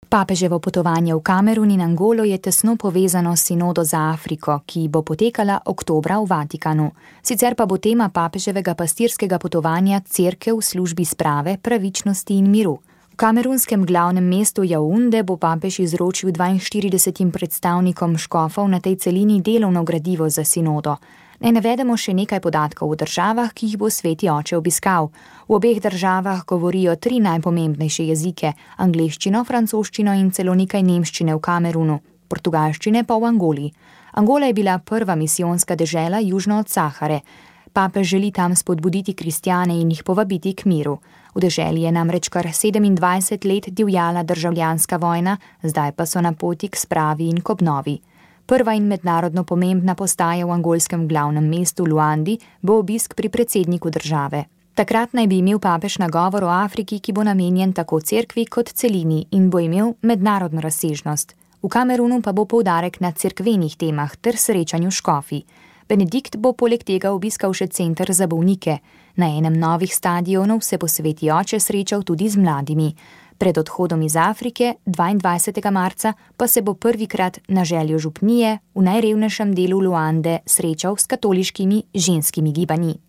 Papeževo potovanje v Kamerun in Angolo je tesno povezano s sinodo za Afriko, ki bo potekala oktobra v Vatikanu. Sicer pa bo tema papeževega pastirskega potovanja Cerkev v službi sprave, pravičnosti in miru. V kamerunskem glavnem mestu Jaunde bo papež izročil 42 predstavnikom škofov na tej celini delovno gradivo za sinodo. Naj navedemo še nekaj podatkov o državah, ki jih bo Sveti oče obiskal. V obeh državah govorijo 3 najpomembnejše jezike, angleščino, francoščino in celo nekaj nemščine v Kamerunu, portugalščine pa v Angoli. Angola je bila prva misijonska dežela južno od Sahare. Papež želi tam spodbuditi kristjane in jih povabiti k miru. V deželi je namreč kar 27 let divjala državljanska vojna, zdaj pa so na poti k spravi in k obnovi. Prva in mednarodno pomembna postaja v angolskem glavnem mestu Luandi bo obisk pri predsedniku države. Takrat naj bi imel papež nagovor o Afriki, ki bo namenjen tako cerkvi kot celini in bo imel mednarodno razsežnost. V Kamerunu pa bo poudarek na cerkvenih temah ter srečanju škofi. Benedikt bo poleg tega obiskal še center za bolnike. Na enem novih stadionov se bo Sveti oče srečal tudi z mladimi. Pred odhodom iz Afrike, 22. marca, pa se bo prvikrat na željo župnije v najrevnejšem delu Luande srečal s katoliškimi ženskimi gibanji.